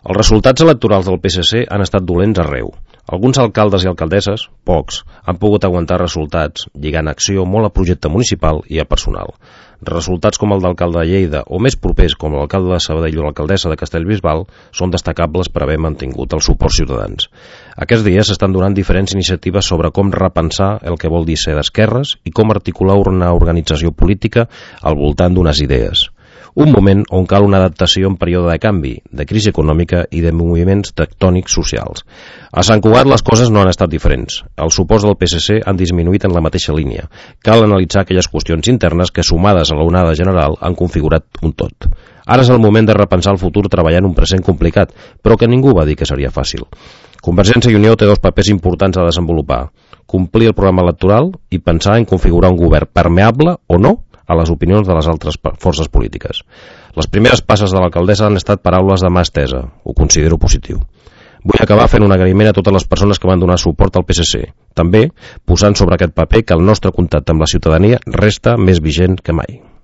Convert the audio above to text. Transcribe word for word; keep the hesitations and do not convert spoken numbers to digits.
Els resultats electorals del P S C han estat dolents arreu. Alguns alcaldes i alcaldesses, pocs, han pogut aguantar resultats, lligant acció molt a projecte municipal i a personal. Resultats com el d'alcalde de Lleida o més propers com l'alcalde de Sabadell o l'alcaldessa de Castellbisbal són destacables per haver mantingut el suport ciutadans. Aquests dies s'estan donant diferents iniciatives sobre com repensar el que vol dir ser d'esquerres i com articular una organització política al voltant d'unes idees. Un moment on cal una adaptació en període de canvi, de crisi econòmica i de moviments tectònics socials. A Sant Cugat les coses no han estat diferents. Els suports del P S C han disminuït en la mateixa línia. Cal analitzar aquelles qüestions internes que, sumades a l'onada general, han configurat un tot. Ara és el moment de repensar el futur treballant un present complicat, però que ningú va dir que seria fàcil. Convergència i Unió té dos papers importants a desenvolupar: complir el programa electoral i pensar en configurar un govern permeable o no a les opinions de les altres forces polítiques. Les primeres passes de l'alcaldessa han estat paraules de mà estesa. Ho considero positiu. Vull acabar fent un agraïment a totes les persones que van donar suport al P S C, també posant sobre aquest paper que el nostre contacte amb la ciutadania resta més vigent que mai.